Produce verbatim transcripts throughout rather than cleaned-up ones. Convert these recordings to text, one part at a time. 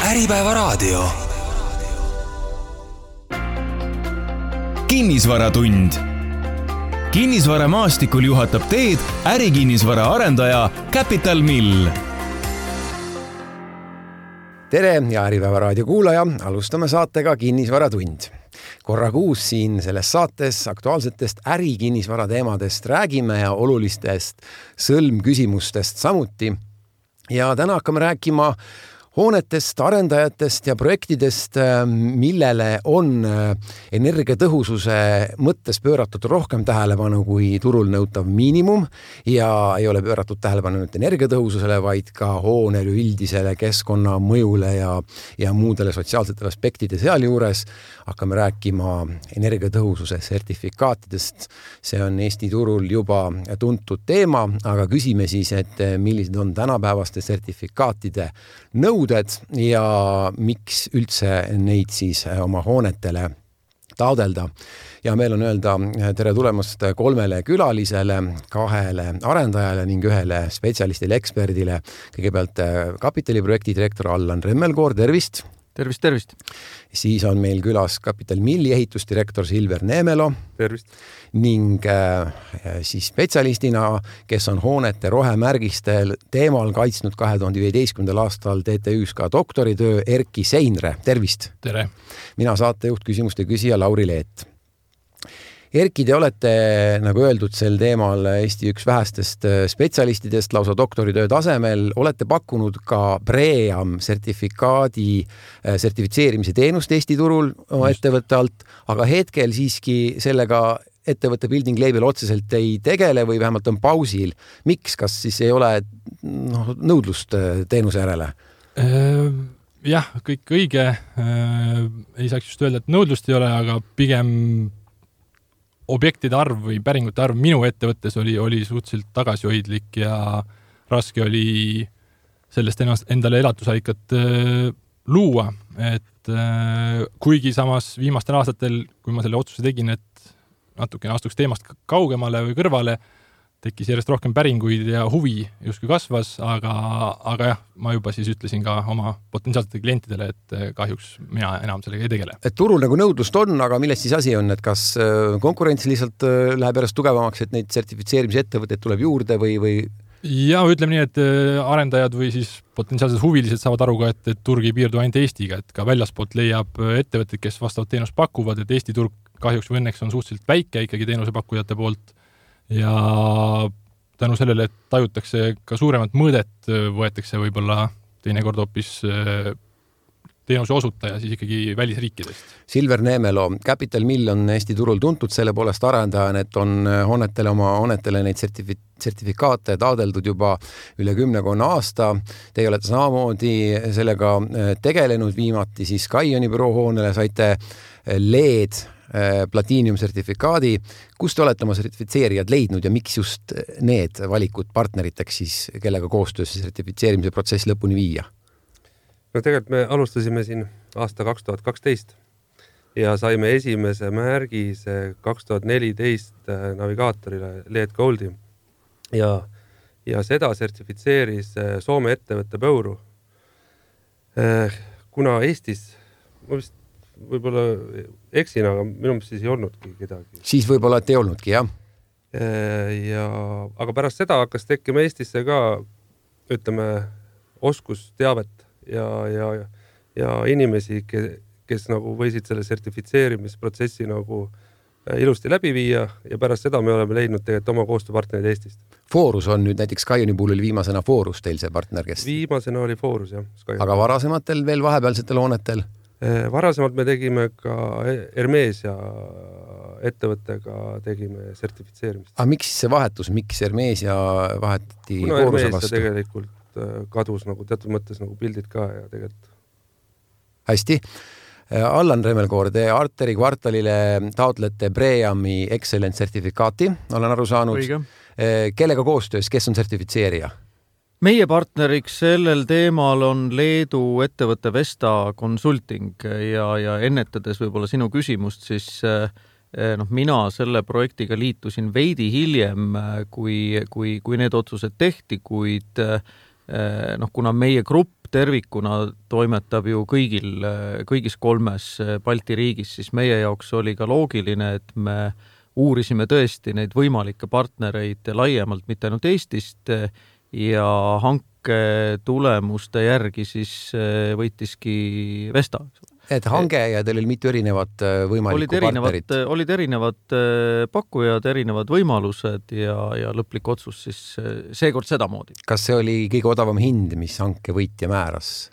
Äripäevaraadio. Kinnisvaratund. Kinnisvaramaastikul juhatab teed ärikinnisvara arendaja Capital Mill. Tere ja Äripäevaraadio kuulaja, alustame saatega Kinnisvaratund. Korra kuus siin selles saates aktuaalsetest ärikinnisvara teemadest räägime ja olulistest sõlmküsimustest samuti. Ja täna hakkame rääkima hoonetest, arendajatest ja projektidest, millele on energiatõhususe mõttes pööratud rohkem tähelepanu kui turul nõutav miinimum ja ei ole pööratud tähelepanu nüüd energiatõhususele, vaid ka hoonele üldisele keskkonna mõjule ja, ja muudele sotsiaalsetele aspektide sealjuures. Hakkame rääkima energiatõhususe sertifikaatidest. See on Eesti turul juba tuntud teema, aga küsime siis, et millised on tänapäevaste sertifikaatide nõuded ja miks üldse neid siis oma hoonetele taodelda. Ja meil on öelda tere tulemast kolmele külalisele, kahele arendajale ning ühele spetsialistile, eksperdile. Kõigepealt kapitaliprojekti direktor Allan Remmelkoor, tervist! Tervist, tervist! Siis on meil külas Capital Milli ehitusdirektor Silver Neemelo. Tervist! Ning äh, siis spetsialistina, kes on hoonete rohemärgistel teemal kaitsnud kahe tuhande viieteistkümnendal aastal T T Ü's ka doktoritöö Erki Seinre. Tervist! Tere! Mina saatejuht, küsimuste küsija Lauri Leet. Erki, te olete, nagu öeldud, sel teemal Eesti üks vähestest spetsialistidest lausa doktoritöö tasemel. Olete pakkunud ka BREEAM sertifikaadi sertifitseerimise teenust Eesti turul oma ettevõtte alt, aga hetkel siiski sellega ettevõtte Building Label otseselt ei tegele või vähemalt on pausil. Miks? Kas siis ei ole no, nõudlust teenuse järele? Jah, kõik õige. Ei saaks just öelda, et nõudlust ei ole, aga pigem objektide arv või päringute arv minu ettevõttes oli, oli suhteliselt tagasihoidlik ja raske oli sellest ennast, endale elatusallikat äh, luua. Et äh, kuigi samas viimastel aastatel, kui ma selle otsuse tegin, et natukene astuks teemast kaugemale või kõrvale, tekkis järjest rohkem päringuid ja huvi justkui kasvas, aga, aga jah, ma juba siis ütlesin ka oma potentsiaalsetele klientidele, et kahjuks mina enam sellega ei tegele. Et turul nagu nõudlust on, aga millest siis asi on, et kas konkurents lihtsalt läheb järjest tugevamaks, et neid sertifitseerimise ettevõtteid tuleb juurde või, või... Ja ütleme nii, et arendajad või siis potentsiaalsed huvilised saavad aru ka, et, et turg ei piirdu ainult Eestiga, et ka väljaspoolt leiab ettevõtted, kes vastavat teenust pakuvad, et Eesti turg kahjuks või õnneks on suhteliselt väike ikkagi teenusepakkujate poolt. Ja tänu sellele, et tajutakse ka suuremat mõõdet, võetakse võib-olla teinekord hoopis teenuse osutaja siis ikkagi välisriikidest. Silver Neemelo, Capital Mill on Eesti turul tuntud selle poolest arendajana, et on hoonetele oma hoonetele neid sertifi- sertifikaate taodeldud juba üle kümnekonna aasta. Teie olete samamoodi sellega tegelenud, viimati siis Kaioni büroo hoonele saite L E D Platinum sertifikaadi. Kus te olete oma sertifitseerijad leidnud ja miks just need valikud partneriteks siis, kellega koostöös sertifitseerimise protsess lõpuni viia? No tegelikult me alustasime siin aasta kaks tuhat kaksteist ja saime esimese märgise kaks tuhat neliteist navigaatorile L E D Goldi ja, ja seda sertifitseeris Soome ettevõtte Pöuru. Kuna Eestis ma vist võib-olla eksin, aga minu meelest siis ei olnudki kedagi. Siis võib-olla, et ei olnudki, jah. Ja, aga pärast seda hakkas tekkima Eestisse ka, ütleme, oskusteavet ja, ja, ja inimesi, kes nagu võisid selle sertifitseerimisprotsessi nagu ilusti läbi viia ja pärast seda me oleme leidnud tegelikult oma koostööpartnerid Eestist. Foorus on nüüd näiteks Kaioni puhul oli viimasena Foorus teil see partner, kes... Viimasena oli Foorus, jah. Skyone. Aga varasematel veel vahepealsetel hoonetel? Varasemalt me tegime ka Hermesia ettevõttega tegime sertifitseerimist. Aga miks see vahetus? Miks Hermesia vahetati Kuna Fooruse vastu? Hermesia tegelikult kadus nagu teatud mõttes nagu pildid ka ja tegelikult. Hästi. Allan Remmelkoor, te Arteri kvartalile taotlete BREEAMi Excellent sertifikaati, olen aru saanud. Õige. Kellega koostöös, kes on sertifitseerija? Meie partneriks sellel teemal on Leedu ettevõtte Vesta Consulting ja, ja ennetades võib-olla sinu küsimust, siis noh, mina selle projektiga liitusin veidi hiljem, kui, kui, kui need otsused tehti, kuid noh, kuna meie grupp tervikuna toimetab ju kõigil, kõigis kolmes Balti riigis, siis meie jaoks oli ka loogiline, et me uurisime tõesti neid võimalikke partnereid laiemalt, mitte ainult Eestist, ja hanke tulemuste järgi siis võitiski Vesta. Et hange ja teil oli mitu erinevat võimalikku olid erinevad, partnerit? Olid erinevad pakkujad, erinevad võimalused ja, ja lõplik otsus siis seekord sedamoodi. Kas see oli kõige odavam hind, mis hanke võitja määras?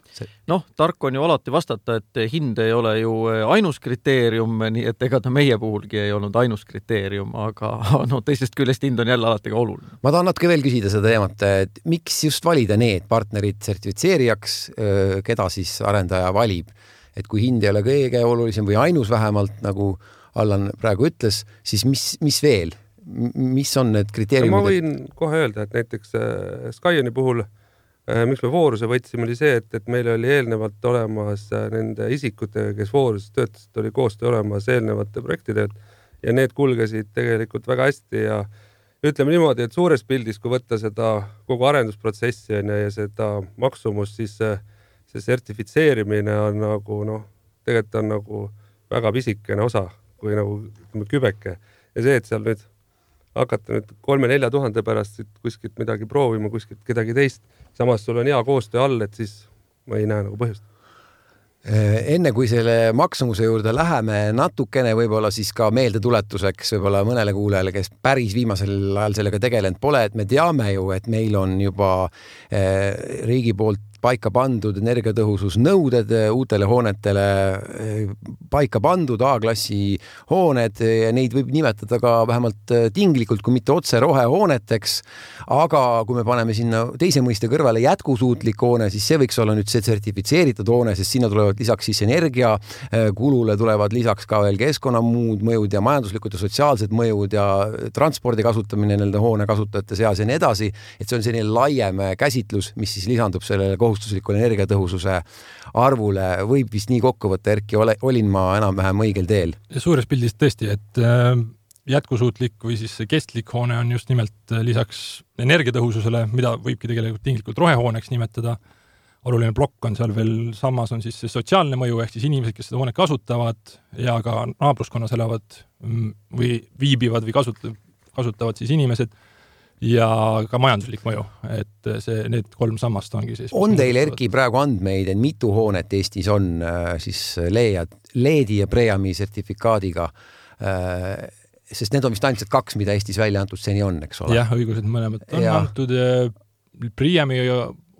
Noh, tark on ju alati vastata, et hind ei ole ju ainus kriteerium, nii et ega ta meie puhulgi ei olnud ainus kriteerium, aga no, teisest küljest hind on jälle alati ka oluline. Ma tahan natuke veel küsida seda teemat, et miks just valida need partnerid sertifitseerijaks, keda siis arendaja valib? Et kui hind ei ole kõige olulisem või ainus vähemalt, nagu Allan praegu ütles, siis mis, mis veel? Mis on need kriteeriumid? Ma võin kohe öelda, et näiteks Skyoni puhul miks me vooruse võtsime, oli see, et, et meil oli eelnevalt olemas nende isikutega, kes vooruses töötasid, oli koostöö olemas eelnevate projektide ja need kulgesid tegelikult väga hästi ja ütleme niimoodi, et suures pildis, kui võtta seda kogu arendusprotsessi ja seda maksumust, siis see, see sertifitseerimine on nagu, noh, tegelikult on nagu väga pisikene osa, kui nagu kübeke ja see, et seal nüüd hakata nüüd kolme-nelja tuhande pärast kuskilt midagi proovima, kuskilt kedagi teist. Samas sul on hea koostöö all, et siis ma ei näe nagu põhjust. Enne kui selle maksumuse juurde läheme natukene võib-olla siis ka meeldetuletuseks võib-olla mõnele kuulajale, kes päris viimasel ajal sellega tegelenud pole, et me teame ju, et meil on juba riigi poolt paika pandud energiatõhususnõuded uutele hoonetele paika pandud A-klassi hooned ja neid võib nimetada ka vähemalt tinglikult, kui mitte otse rohehooneteks, aga kui me paneme sinna teise mõiste kõrvale jätkusuutlik hoone, siis see võiks olla nüüd see sertifitseeritud hoone, sest sinna tulevad lisaks siis energia kulule tulevad lisaks ka veel keskkonna muud mõjud ja majanduslikud ja sotsiaalsed mõjud ja transpordi kasutamine nende hoone kasutajate seas ja nii edasi, et see on selline laiem käsitlus, mis siis lisandub sellele kohustuslikule energiatõhususe arvule, võib vist nii kokku võtta, Erki, olin ma enam-vähem õigel teel? Suures pildis tõesti, et jätkusuutlik või siis kestlik hoone on just nimelt lisaks energiatõhususele, mida võibki tegelikult tinglikult rohehooneks nimetada. Oluline plokk on seal veel, samas on siis see sotsiaalne mõju, ehk siis inimesed, kes seda hoonet kasutavad ja ka naabruskonnas elavad või viibivad või kasutavad, kasutavad siis inimesed ja ka majanduslik mõju, et see, need kolm sammast ongi siis. On teil, Erki, praegu andmeid, et mitu hoonet Eestis on siis leedi ja Preami sertifikaadiga, sest need on vist ainult kaks, mida Eestis välja antud seni on, eks ole? Jah, õigused mõlemad on ja antud. Preami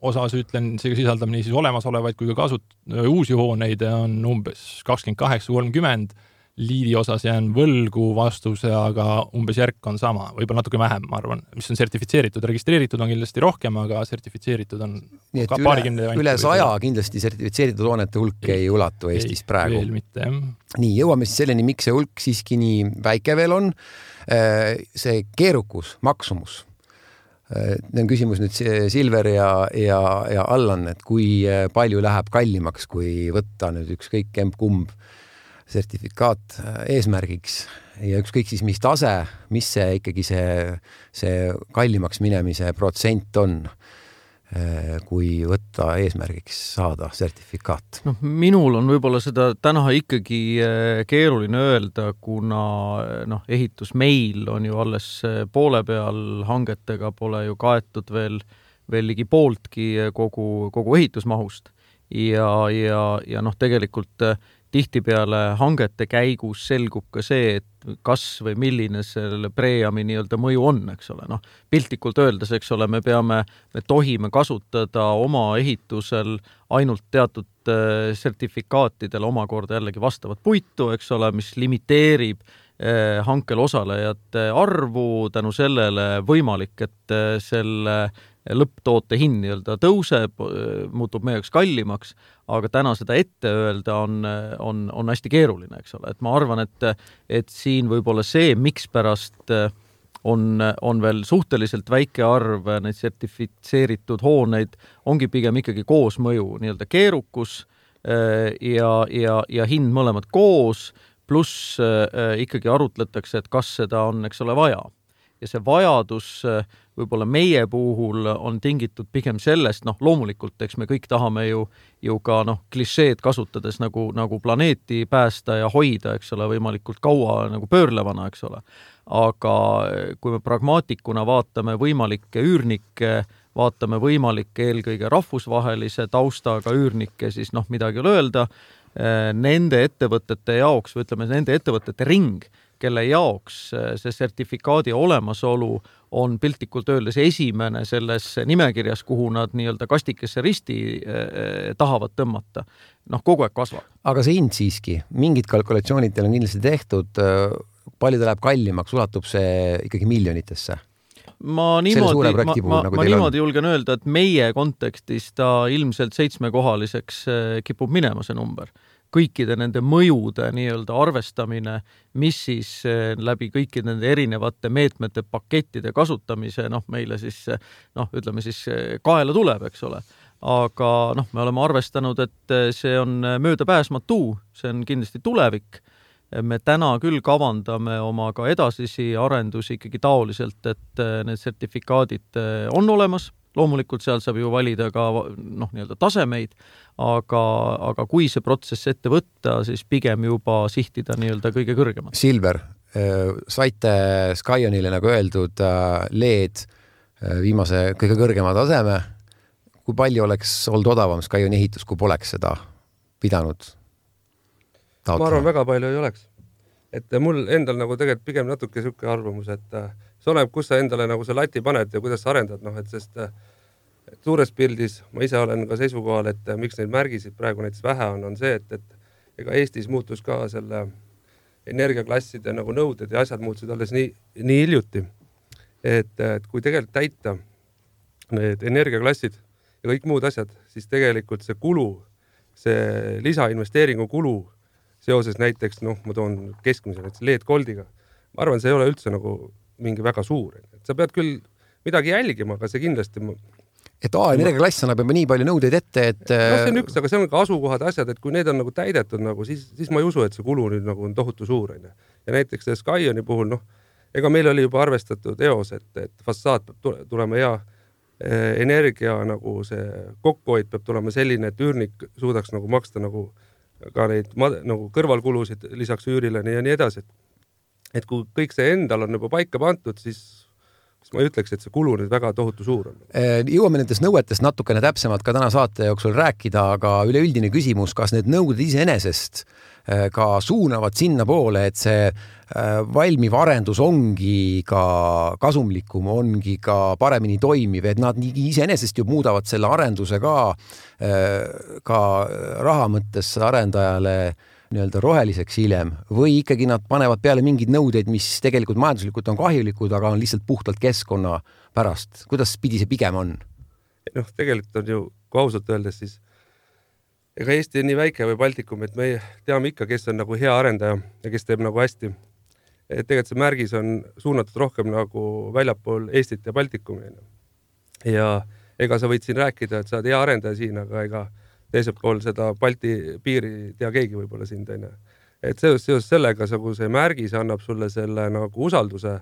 osas ütlen, see sisaldab nii siis olemasolevaid kui ka kasut-, uusi hooneid on umbes kakskümmend kaheksa kolmkümmend. Liidi osas jään võlgu vastuse, aga umbes järk on sama, võib-olla natuke vähem, ma arvan, mis on sertifitseeritud. Registreeritud on kindlasti rohkem, aga sertifitseeritud on nii, ka üle, üle saja kindlasti sertifitseeritud hoonete hulk ei, ei ulatu Eestis ei, praegu. Veel mitte, jah. Nii, jõuame siis selleni, miks see hulk siiski nii väike veel on. See keerukus, maksumus. Need on küsimus nüüd Silver ja, ja, ja Allan, et kui palju läheb kallimaks, kui võtta nüüd ükskõik kumb sertifikaat eesmärgiks ja ükskõik siis mis tase, mis see ikkagi see, see kallimaks minemise protsent on, kui võtta eesmärgiks saada sertifikaat? No, minul on võib-olla seda täna ikkagi keeruline öelda, kuna no, ehitus meil on ju alles poole peal, hangetega pole ju kaetud veel, veel ligi pooltki kogu, kogu ehitusmahust ja, ja, ja noh, tegelikult tihtipeale hangete käigus selgub ka see, et kas või milline selle Preami nii-öelda mõju on, eks ole. Noh, piltlikult öeldes, eks ole, me peame, me tohime kasutada oma ehitusel ainult teatud sertifikaatidel omakorda jällegi vastavat puitu, eks ole, mis limiteerib hankel osalejate arvu, tänu sellele võimalik, et selle lõpptoote hind nii-öelda tõuseb, muutub meie jaoks kallimaks, aga täna seda ette öelda on, on, on hästi keeruline, eks ole. Et ma arvan, et, et siin võib-olla see, miks pärast on, on veel suhteliselt väike arv neid sertifitseeritud hooneid, ongi pigem ikkagi koosmõju, nii-öelda keerukus ja, ja, ja hind mõlemad koos, pluss ikkagi arutletakse, et kas seda on, eks ole, vaja. Ja see vajadus võib-olla meie puhul on tingitud pigem sellest, noh, loomulikult, eks me kõik tahame ju, ju ka, noh, klišeed kasutades nagu, nagu planeeti päästa ja hoida, eks ole, võimalikult kaua nagu pöörlevana, eks ole. Aga kui me pragmaatikuna vaatame võimalikke üürnikke, vaatame võimalikke eelkõige rahvusvahelise taustaga üürnikke, siis noh, midagi ole öelda, nende ettevõtete jaoks, või ütleme, nende ettevõtete ring, kelle jaoks see sertifikaadi olemasolu on piltlikult öeldes esimene selles nimekirjas, kuhu nad nii-öelda kastikesse risti tahavad tõmmata. Noh, kogu aeg kasvab. Aga see hind siiski, mingid kalkulatsioonid teil on kindlasti tehtud, palju ta läheb kallimaks, ulatub see ikkagi miljonitesse? Ma niimoodi, ma, ma, nagu ma niimoodi julgen öelda, et meie kontekstis ta ilmselt seitsmekohaliseks kipub minema see number. Kõikide nende mõjude nii-öelda arvestamine, mis siis läbi kõikide nende erinevate meetmete pakettide kasutamise, noh, meile siis, noh, ütleme siis kaela tuleb, eks ole. Aga noh, me oleme arvestanud, et see on möödapääsmatu, see on kindlasti tulevik. Me täna küll kavandame oma ka edasisi arendusi ikkagi taoliselt, et need sertifikaadid on olemas. Loomulikult seal saab ju valida ka noh, nii-öelda tasemeid, aga, aga kui see protsess ette võtta, siis pigem juba sihtida nii-öelda kõige kõrgemat. Silver, saite Skionile nagu öeldud L E D viimase kõige kõrgema taseme. Kui palju oleks olnud odavam Skioni ehitus, kui poleks seda pidanud taotlema? Ma arvan, väga palju ei oleks. Et mul endal nagu tegelikult pigem natuke selline arvamus, et see oleneb, kus sa endale nagu see lati paned ja kuidas sa arendad, noh, et sest et suures pildis ma ise olen ka seisukohal, et miks neid märgisid praegu näiteks vähe on, on see, et, et ega Eestis muutus ka selle energiaklasside nagu nõuded ja asjad muutusid alles nii, nii hiljuti, et, et kui tegelikult täita need energiaklassid ja kõik muud asjad, siis tegelikult see kulu, see lisainvesteeringu kulu seoses näiteks, noh, ma toon keskmise näiteks L E D Goldiga, ma arvan, see ei ole üldse nagu mingi väga suur. Et sa pead küll midagi jälgima, aga see kindlasti... Et A energiaklass annab juba nii palju nõudeid ette, et... No see on üks, aga see on ka asukohad asjad, et kui need on nagu täidetud, nagu, siis, siis ma ei usu, et see kulu nüüd nagu on tohutu suur. Ja näiteks see Skioni puhul, noh, ega meil oli juba arvestatud eos, et, et fassaad peab tulema hea energia, nagu see kokkuhoid peab tulema selline, et üürnik suudaks nagu maksta nagu ka neid nagu kõrvalkulusid lisaks üürile ja nii edasi. Et kui kõik see endal on juba paika pantud, siis, siis ma ütleks, et see kulu nüüd väga tohutu suur on. Jõuame nendest nõuetest natukene täpsemalt ka täna saate jooksul rääkida, aga üleüldine küsimus, kas need nõuded iseenesest ka suunavad sinna poole, et see valmiv arendus ongi ka kasumlikum, ongi ka paremini toimiv, et nad iseenesest ju muudavad selle arenduse ka, ka raha mõttes arendajale nii-öelda roheliseks hiljem või ikkagi nad panevad peale mingid nõudeid, mis tegelikult majanduslikult on kahjulikud, aga on lihtsalt puhtalt keskkonna pärast. Kuidas pidi see pigem on? Noh, tegelikult on ju, kui ausalt öeldes, siis ega Eesti on nii väike või Baltikum, et me teame ikka, kes on nagu hea arendaja ja kes teeb nagu hästi. Et tegelikult see märgis on suunatud rohkem nagu väljapool Eestit ja Baltikumi. Ja ega sa võid siin rääkida, et sa oled hea arendaja siin, aga ega teiselt pool seda Balti piiri tea keegi võib-olla siin teine. Et seos, seos sellega see märgis annab sulle selle nagu usalduse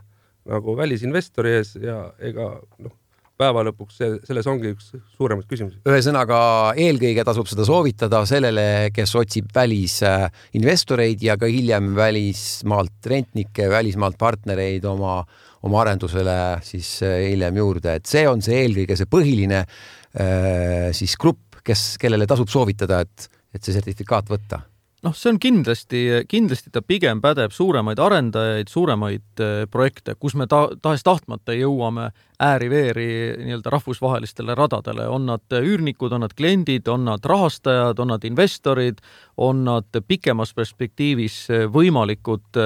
nagu välisinvestori ees ja ega noh, päeva lõpuks see, selles ongi üks suuremaid küsimusi. Ühesõnaga eelkõige tasub seda soovitada sellele, kes otsib välisinvestoreid ja ka hiljem välismaalt rentnikke, välismaalt partnereid oma, oma arendusele siis hiljem juurde. Et see on see eelkõige see põhiline siis grupp, kes, kellele tasub soovitada, et, et see sertifikaat võtta? Noh, see on kindlasti, kindlasti ta pigem pädeb suuremaid arendajaid, suuremaid projekte, kus me ta, tahes tahtmata jõuame ääri-veeri nii-öelda rahvusvahelistele radadele. On nad üürnikud, on nad kliendid, on nad rahastajad, on nad investorid, on nad pikemas perspektiivis võimalikud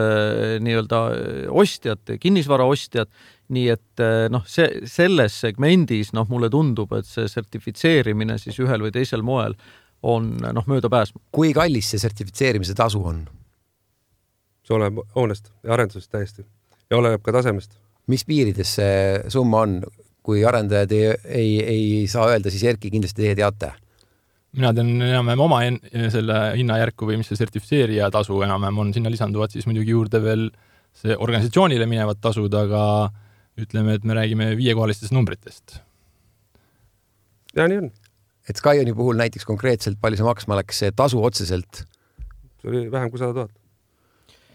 nii-öelda ostjad, kinnisvara ostjad. Nii et noh, see, selles segmendis noh, mulle tundub, et see sertifitseerimine siis ühel või teisel moel on noh, mööda pääsma. Kui kallis see sertifitseerimise tasu on? See oleneb hoonest ja arendusest täiesti ja oleneb ka tasemest. Mis piirides see summa on? Kui arendajad ei, ei, ei saa öelda, siis Erki kindlasti teie teate. Mina tean enam-vähem oma en, selle hinnajärku või mis see sertifitseerija tasu enam-vähem on, sinna lisanduvad siis muidugi juurde veel see organisatsioonile minevad tasud, aga ütleme, et me räägime viiekohalistest numbritest. Ja nii on. Et Skyoni puhul näiteks konkreetselt palju see maksma läks see tasu otseselt? See oli vähem kui sada tuhat.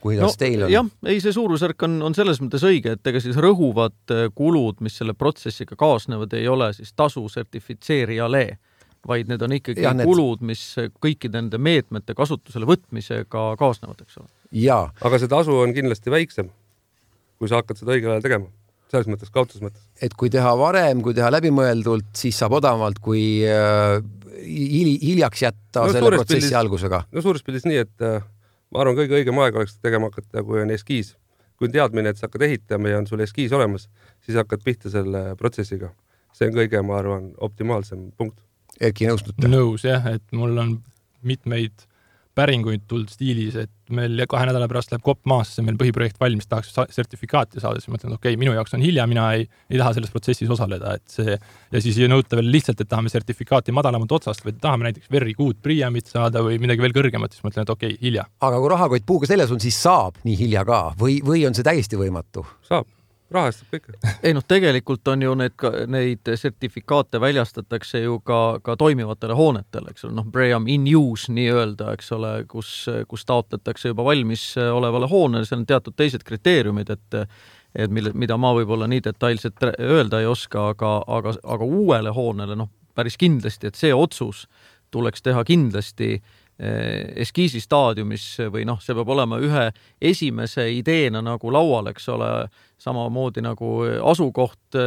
Kuidas no, teil on? Jah, ei, see suurusjärk on, on selles mõttes õige, et ega siis rõhuvad kulud, mis selle protsessiga kaasnevad, ei ole siis tasu sertifitseerijale, vaid need on ikkagi ja, need... kulud, mis kõikide nende meetmete kasutusele võtmisega kaasnevad, eks ole. Ja. Aga see tasu on kindlasti väiksem, kui sa hakkad seda õigel ajal tegema. Selles mõttes, kaotus mõttes. Et kui teha varem, kui teha läbimõeldult, siis saab odavamalt, kui äh, hiljaks jätta no, selle protsessi pildis, algusega. No suures pildis nii, et äh, ma arvan, kõige õigem aeg oleks tegema hakata, kui on eskiis. Kui on teadmine, et sa hakkad ehitama ja on sul eskiis olemas, siis hakkad pihta selle protsessiga. See on kõige, ma arvan, optimaalsem punkt. Erki nõustute? Nõus, jah, et mul on mitmeid päringuid tuld stiilis, et meil kahe nädala pärast läheb kopp maasse, meil põhiprojekt valmis, tahaks sertifikaati saada, siis mõtlen, et okei, okay, minu jaoks on hilja, mina ei, ei taha selles protsessis osaleda, et see, ja siis ei nõuta veel lihtsalt, et tahame sertifikaati madalamad otsast, või tahame näiteks very good priamit saada või midagi veel kõrgemat, siis mõtlen, et okei, okay, hilja. Aga kui rahakott puuga selles on, siis saab nii hilja ka või, või on see täiesti võimatu? Saab. Rahastab kõik. Ei noh, tegelikult on ju need, neid sertifikaate väljastatakse ju ka, ka toimivatele hoonetele, eks ole, noh, Bream in use nii öelda, eks ole, kus, kus taotletakse juba valmis olevale hoonele, see on teatud teised kriteeriumid, et, et mille, mida ma võib-olla nii detailselt öelda ei oska, aga, aga, aga uuele hoonele, noh, päris kindlasti, et see otsus tuleks teha kindlasti eskiisi staadiumis või noh, see peab olema ühe esimese ideena nagu laual, eks ole, samamoodi nagu asukoht,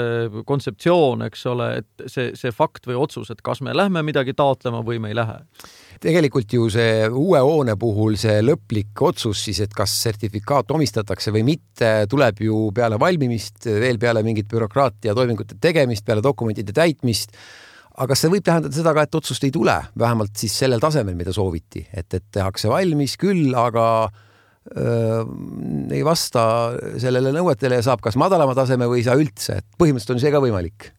kontseptsioon, eks ole, et see, see fakt või otsus, et kas me lähme midagi taotlema või me ei lähe. Tegelikult ju see uue hoone puhul see lõplik otsus siis, et kas sertifikaat omistatakse või mitte, tuleb ju peale valmimist, veel peale mingit bürokraatia toimingute tegemist, peale dokumentide täitmist. Aga see võib tähendada seda ka, et otsust ei tule, vähemalt siis sellel tasemel, mida sooviti, et, et tehakse valmis küll, aga öö, ei vasta sellele nõuetele ja saab kas madalama taseme või ei saa üldse, et põhimõtteliselt on see ka võimalik.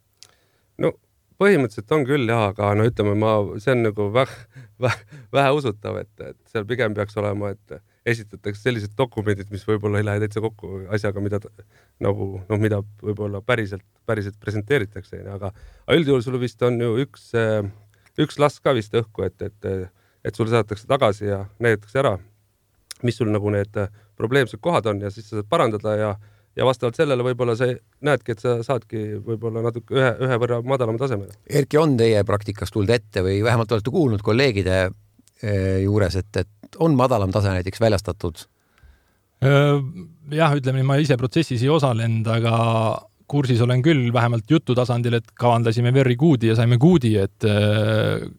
No põhimõtteliselt on küll jah, aga no ütleme, ma, see on nagu vähe, vähe, vähe usutav, et, et seal pigem peaks olema, et esitatakse sellised dokumendid, mis võib-olla ei lähe täitsa kokku asjaga, mida nagu, noh, mida võib-olla päriselt, päriselt presenteeritakse, aga üldjuhul sul vist on ju üks, üks lask ka vist õhku, et, et, et sul saadetakse tagasi ja näidatakse ära, mis sul nagu need probleemsed kohad on ja siis sa saad parandada ja, ja vastavalt sellele võib-olla sa näedki, et sa saadki võib-olla natuke ühe, ühe võrra madalama tasemele. Erki, on teie praktikas tulnud ette või vähemalt olete kuulnud kolleegide juures, et, et on madalam tase näiteks väljastatud? Jah, ütleme, ma ise protsessis ei osalenud, aga kursis olen küll vähemalt jutu tasandil, et kavandasime very good'i ja saime good'i, et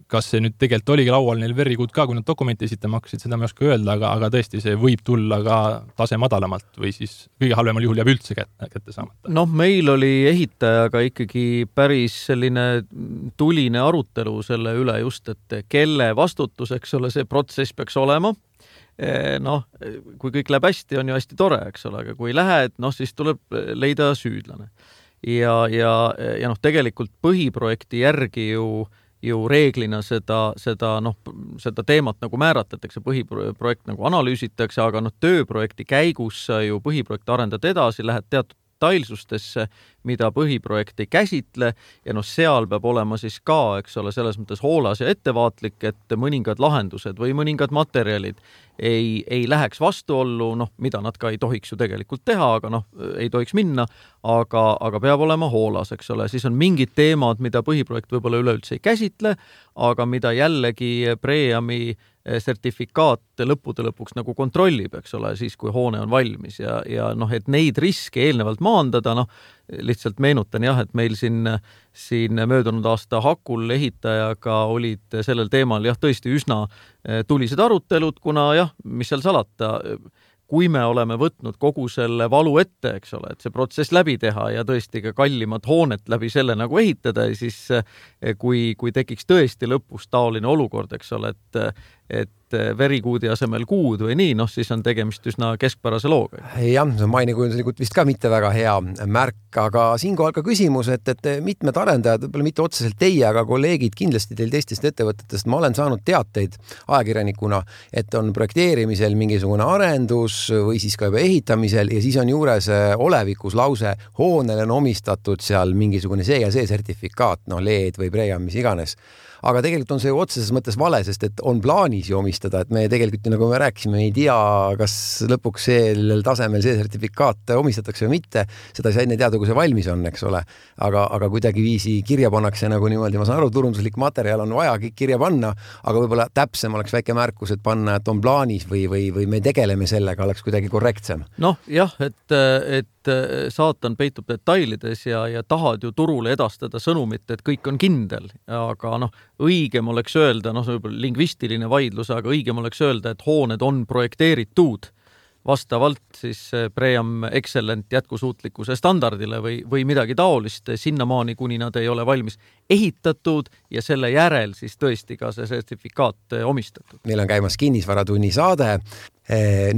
kas see nüüd tegelikult oligi laual neil very good ka, kui nad dokumenti esitama hakkasid, seda ma ei oska öelda, aga, aga tõesti see võib tulla ka tase madalamalt või siis kõige halvemal juhul jääb üldse kätte, kätte saamata. Noh, meil oli ehitajaga ikkagi päris selline tuline arutelu selle üle just, et kelle vastutus, eks ole, see protsess peaks olema. Noh, kui kõik läheb hästi, on ju hästi tore, eks ole, aga kui ei lähe, noh, siis tuleb leida süüdlane. Ja, ja, ja noh, tegelikult põhiprojekti järgi ju, ju reeglina seda, seda, noh, seda teemat nagu määratletakse, põhiprojekt nagu analüüsitakse, aga noh, tööprojekti käigus sa ju põhiprojekti arendad edasi, lähed teatud detailsustesse, mida põhiprojekt ei käsitle ja noh, seal peab olema siis ka, eks ole, selles mõttes hoolas ja ettevaatlik, et mõningad lahendused või mõningad materjalid ei, ei läheks vastuollu, noh, mida nad ka ei tohiks ju tegelikult teha, aga noh, ei tohiks minna, aga, aga peab olema hoolas, eks ole. Siis on mingid teemad, mida põhiprojekt võib-olla üleüldse ei käsitle, aga mida jällegi Breami sertifikaat lõppude lõpuks nagu kontrollib, eks ole, siis kui hoone on valmis ja, ja noh, et neid riske eelnevalt maandada, noh, lihtsalt meenutan jah, et meil siin, siin möödunud aasta Hakul ehitajaga olid sellel teemal jah, tõesti üsna tulised arutelud, kuna jah, mis seal salata, kui me oleme võtnud kogu selle valu ette, eks ole, et see protsess läbi teha ja tõesti ka kallimat hoonet läbi selle nagu ehitada, siis kui, kui tekiks tõesti lõpus taoline olukord, eks ole, et, et et verikuudi asemel kuud või nii, noh, siis on tegemist üsna keskpärase looga. Jah, see on mainekujunduslikult vist ka mitte väga hea märk, aga siinkohal ka küsimus, et, et mitmed arendajad, võib-olla mitte otseselt teie, aga kolleegid kindlasti teil teistest ettevõtetest, ma olen saanud teateid ajakirjanikuna, et on projekteerimisel mingisugune arendus või siis ka juba ehitamisel ja siis on juures olevikus lause, hoonele on omistatud seal mingisugune see ja see sertifikaat, no L E D või Pream, mis iganes. Aga tegelikult on see ju otseses mõttes vale, sest et on plaanis ju omistada, et me tegelikult, nagu me rääkisime, ei tea, kas lõpuks sellel tasemel see sertifikaat omistatakse või mitte. Seda ei saa enne teada, kui see valmis on, eks ole. Aga, aga kuidagi viisi kirja pannakse nagu niimoodi, ma saan aru, turunduslik materjal on vaja kirja panna, aga võib-olla täpsem oleks väike märkus, et panna, et on plaanis või, või, või me tegeleme sellega, oleks kuidagi korrektsem. Noh, jah, et, et saatan peitub detailides ja, ja tahad ju turule edastada sõnumit, et kõik on kindel, aga noh, õigem oleks öelda, noh, lingvistiline vaidlus, aga õigem oleks öelda, et hooned on projekteeritud vastavalt siis Pream Excellent jätkusuutlikkuse standardile või, või midagi taolist sinnamaani, kuni nad ei ole valmis ehitatud ja selle järel siis tõesti ka see sertifikaat omistatud. Meil on käimas kinnisvaratunni saade.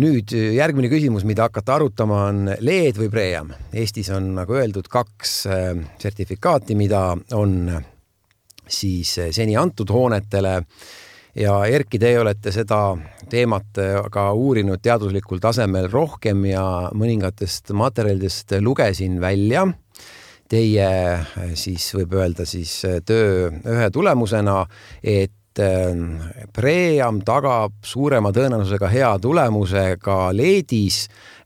Nüüd järgmine küsimus, mida hakata arutama, on L E D või Pream. Eestis on, nagu öeldud, kaks sertifikaati, mida on siis seni antud hoonetele ja Erki, te olete seda teemat ka uurinud teaduslikul tasemel rohkem ja mõningatest materjalidest lugesin välja. Teie siis võib öelda siis töö ühe tulemusena, et Pream tagab suurema tõenäosusega hea tulemuse ka L E D-is,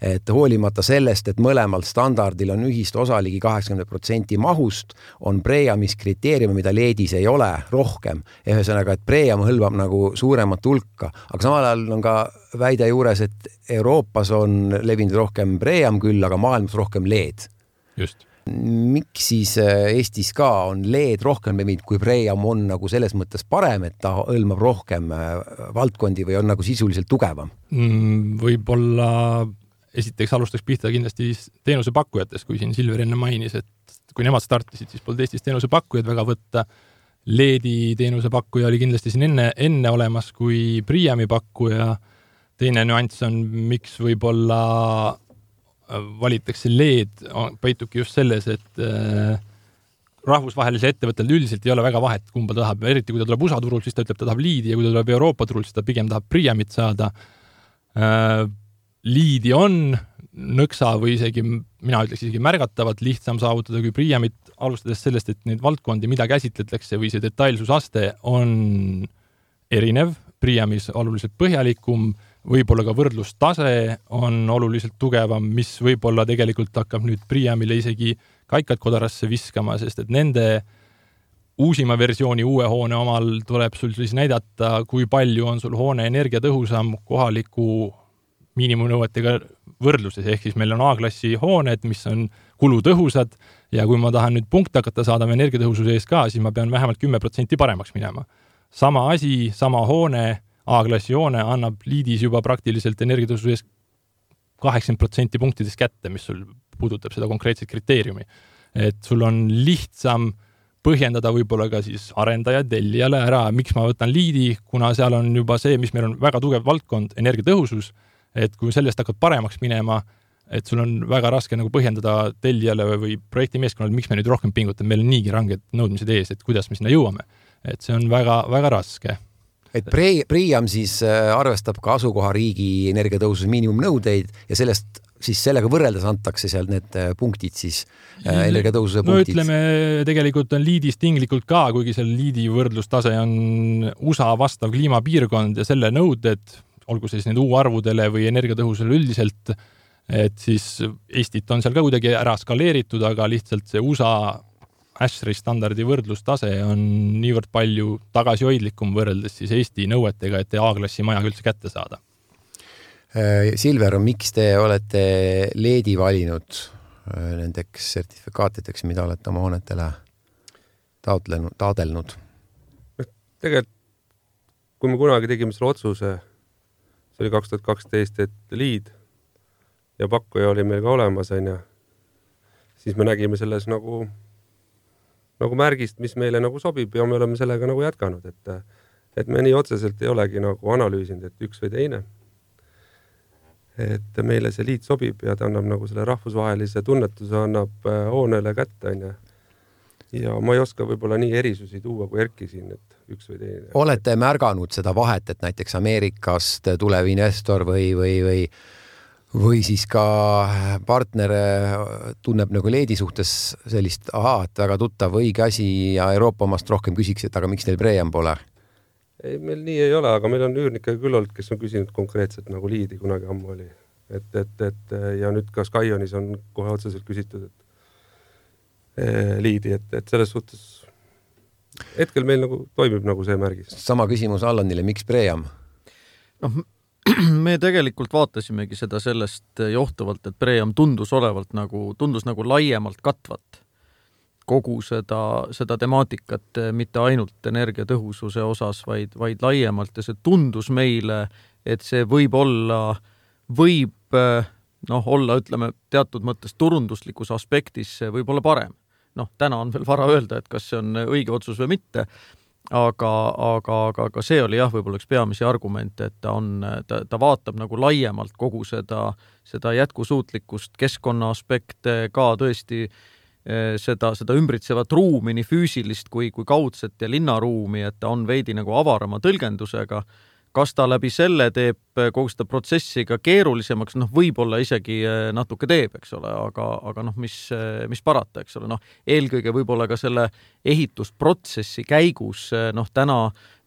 et hoolimata sellest, et mõlemal standardil on ühist osa ligi kaheksakümmend protsenti mahust, on Preamis kriteeriumi, mida L E D-is ei ole, rohkem. Ühesõnaga, et Pream hõlmab nagu suuremat hulka, aga samal ajal on ka väide juures, et Euroopas on levinud rohkem Pream küll, aga maailmas rohkem L E D. Just. Miks siis Eestis ka on L E D rohkem levinud, kui Pream on nagu selles mõttes parem, et ta hõlmab rohkem valdkondi või on nagu sisuliselt tugevam? Võib-olla esiteks alustaks pihta kindlasti teenusepakkujatest, kui siin Silver enne mainis, et kui nemad startisid, siis polnud Eestis teenusepakkujad väga võtta. L E D-i teenusepakkuja oli kindlasti siin enne, enne olemas kui Preami pakkuja. Teine nüanss on, miks võib-olla valitakse L E D, peitubki just selles, et äh, rahvusvahelise ettevõttel üldiselt ei ole väga vahet, kumba tahab. Eriti kui ta tuleb U S A turult, siis ta ütleb, ta tahab L E D-i ja kui ta tuleb Euroopa turult, siis ta pigem tahab Preamit saada. Äh, L E D-i on nõksa või isegi, mina ütleks isegi märgatavat lihtsam saavutada kui Preamit, alustades sellest, et neid valdkondi, mida käsitletakse või see detailsusaste on erinev. Preamis oluliselt põhjalikum, võib-olla ka võrdlustase on oluliselt tugevam, mis võib-olla tegelikult hakkab nüüd Preamile isegi kaikad kodarasse viskama, sest et nende uusima versiooni uue hoone omal tuleb sul siis näidata, kui palju on sul hoone energiatõhusam kohaliku miinimumnõuetega võrdluses, ehk siis meil on A-klassi hooned, mis on kulutõhusad ja kui ma tahan nüüd punkte hakata saada energiatõhususe ees ka, siis ma pean vähemalt kümme protsenti paremaks minema. Sama asi, sama hoone, A-klassi hoone annab L E D-is juba praktiliselt energiatõususe ees kaheksakümmend protsenti punktidest kätte, mis sul puudutab seda konkreetset kriteeriumi. Et sul on lihtsam põhjendada võib-olla ka siis arendaja tellijale ära, miks ma võtan L E D-i, kuna seal on juba see, mis meil on väga tugev valdkond, energiatõhusus, et kui sellest hakkad paremaks minema, et sul on väga raske nagu põhjendada tellijale või projekti meeskonnale, miks me nüüd rohkem pingutab, meil on niigi ranged nõudmised ees, et kuidas me sinna jõuame. Et see on väga, väga raske. Et Pream siis arvestab ka asukoha riigi energiatõususe miinimumnõudeid ja sellest siis sellega võrreldes antakse seal need punktid siis energiatõususe no, punktid. Ütleme, tegelikult on L E D-is tinglikult ka, kuigi seal L E D-i võrdlustase on U S A vastav kliimapiirkond ja selle nõuded, olgu siis need U-arvudele või energiatõhusele üldiselt, et siis Eestit on seal ka kuidagi ära skaleeritud, aga lihtsalt see U S A Ashri standardi võrdlustase on niivõrd palju tagasihoidlikum võrreldes siis Eesti nõuetega, et A-klassi maja üldse kätte saada. Silver, miks te olete L E D-i valinud nendeks sertifikaatideks, mida olete oma hoonetele taotlenud, taadelnud? Tegelikult, kui me kunagi tegime selle otsuse, see oli kaks tuhat kaksteist, et L E D ja pakkuja oli meil ka olemas, ja siis me nägime selles nagu nagu märgist, mis meile nagu sobib ja me oleme sellega nagu jätkanud, et, et me nii otseselt ei olegi nagu analüüsinud, et üks või teine. Et meile see liit sobib ja ta annab nagu selle rahvusvahelise tunnetuse annab hoonele kätte, on ja. Ja ma ei oska võib-olla nii erisusi tuua kui Erki siin, et üks või teine. Olete märganud seda vahet, et näiteks Ameerikast tulev investor või, või, või, või siis ka partner tunneb nagu leedi suhtes sellist, aha, et väga tuttav õige asi ja Euroopa omast rohkem küsiks, et aga miks teil Preem pole? Ei, meil nii ei ole, aga meil on üürnikke küll olnud, kes on küsinud konkreetselt nagu liidi kunagi ammu oli. Et, et, et, ja nüüd ka Skyonis on kohe otseselt küsitud, et liidi, et, et selles suhtes hetkel meil nagu toimib nagu see märgis. Sama küsimus Allanile, miks Preem? noh, me tegelikult vaatasimegi seda sellest johtuvalt, et Preem tundus olevalt nagu, tundus nagu laiemalt katvat kogu seda, seda temaatikat, mitte ainult energiatõhususe osas, vaid, vaid laiemalt ja see tundus meile, et see võib olla, võib noh, olla, ütleme, teatud mõttes turunduslikus aspektis võib olla parem. Noh, täna on veel vara öelda, et kas see on õige otsus või mitte, aga, aga, aga, aga see oli jah, võib-olla üks peamisi argumente, et ta, on, ta, ta vaatab nagu laiemalt kogu seda, seda jätkusuutlikkust, keskkonna aspekte, ka tõesti seda, seda ümbritsevat ruumi, nii füüsilist kui, kui kaudset ja linnaruumi, et ta on veidi nagu avarama tõlgendusega. Kas ta läbi selle teeb kogu seda protsessi ka keerulisemaks, noh, võib-olla isegi natuke teeb, eks ole, aga, aga noh, mis, mis parata, eks ole, noh, eelkõige võib-olla ka selle ehitusprotsessi käigus, noh, täna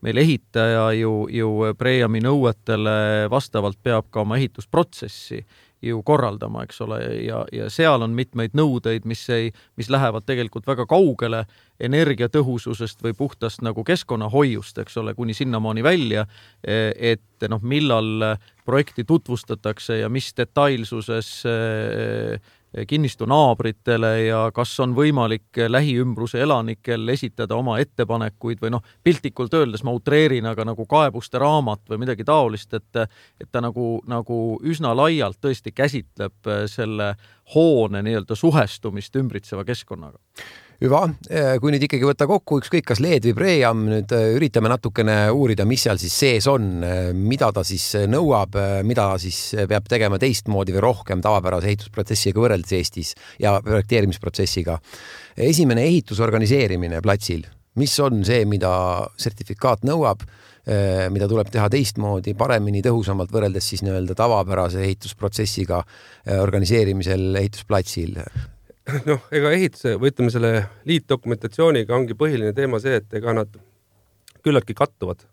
meil ehitaja ju, ju Preemi nõuetele vastavalt peab ka oma ehitusprotsessi ju korraldama, eks ole, ja, ja seal on mitmeid nõudeid, mis, ei, mis lähevad tegelikult väga kaugele energiatõhususest või puhtast nagu keskkonnahoiust, eks ole, kuni sinnamaani välja, et noh, millal projekti tutvustatakse ja mis detailsuses kinnistu naabritele ja kas on võimalik lähiümbruse elanikel esitada oma ettepanekuid või noh, piltlikult öeldes ma utreerin, aga nagu kaebuste raamat või midagi taolist, et, et ta nagu, nagu üsna laialt tõesti käsitleb selle hoone nii-öelda suhestumist ümbritseva keskkonnaga. Hüva, kui nüüd ikkagi võtta kokku ükskõik kas L E D või Preem, nüüd üritame natukene uurida, mis seal siis sees on, mida ta siis nõuab, mida siis peab tegema teistmoodi või rohkem tavapärase ehitusprotsessiga võrreldes Eestis ja projekteerimisprotsessiga. Esimene ehitusorganiseerimine platsil, mis on see, mida sertifikaat nõuab, mida tuleb teha teistmoodi, paremini, tõhusamalt võrreldes siis nii-öelda tavapärase ehitusprotsessiga organiseerimisel ehitusplatsil? Noh, ega ehituse, või ütleme selle liitdokumentatsiooniga ongi põhiline teema see, et ega nad küllaltki kattuvad